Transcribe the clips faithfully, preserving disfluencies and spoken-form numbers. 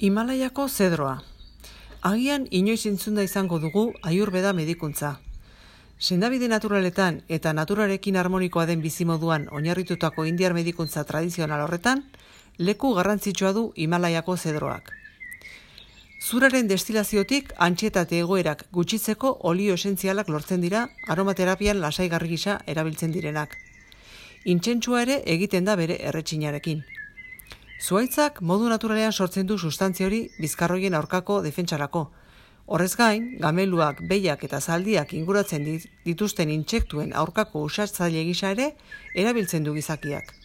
Himalaiako zedroa. Agian inoiz entzunda izango dugu Ayurveda medikuntza. Sendabide naturaletan eta naturarekin harmonikoa den bizimoduan oinarritutako indiar medikuntza tradizional horretan, leku garrantzitsua du Himalaiako zedroak. Zuraren destilaziotik antsietate egoerak gutxitzeko olio esentzialak lortzen dira aromaterapian lasaigarri gisa erabiltzen direnak. Intsentsua ere egiten da bere erretxinarekin. Zuhaitzak modu naturalean sortzen du sustantzia hori bizkarroien aurkako defentsarako. Horrez gain, gameluak, behiak eta zaldiak inguratzen dituzten intsektuen aurkako usatzaile gisa ere erabiltzen du gizakiak.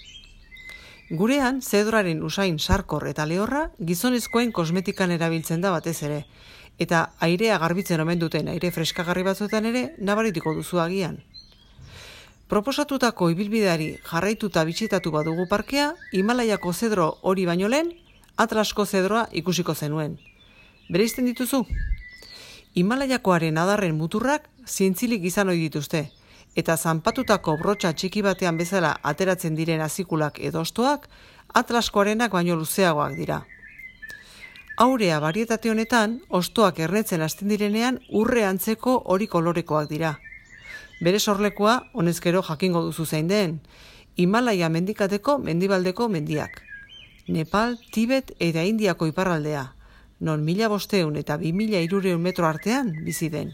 Gurean, zedroaren usain sarkor eta lehorra gizonezkoen kosmetikan erabiltzen da batez ere, eta airea garbitzen omen duten aire freskagarri batzuetan ere nabarituko duzu agian. Proposatutako ibilbideari jarraituta bisitatu badugu parkea, Himalaiako zedro hori baino lehen, Atlasko zedroa ikusiko zenuen. Bereizten dituzu? Himalaiakoaren adarren muturrak zintzilik izan ohi dituzte, eta zanpatutako brotxa txiki batean bezala ateratzen diren azikulak edo hostoak, Atlaskoarenak baino luzeagoak dira. Aurea barietate honetan, hostoak ernetzen hasten direnean urre antzeko hori kolorekoak dira. Bere sorlekoa, honezkero jakingo duzu zein den, Himalaia mendikateko mendibaldeko mendiak. Nepal, Tibet eta Indiako iparraldea, non mila bosteun eta bi mila hirurehun metro artean bizi den.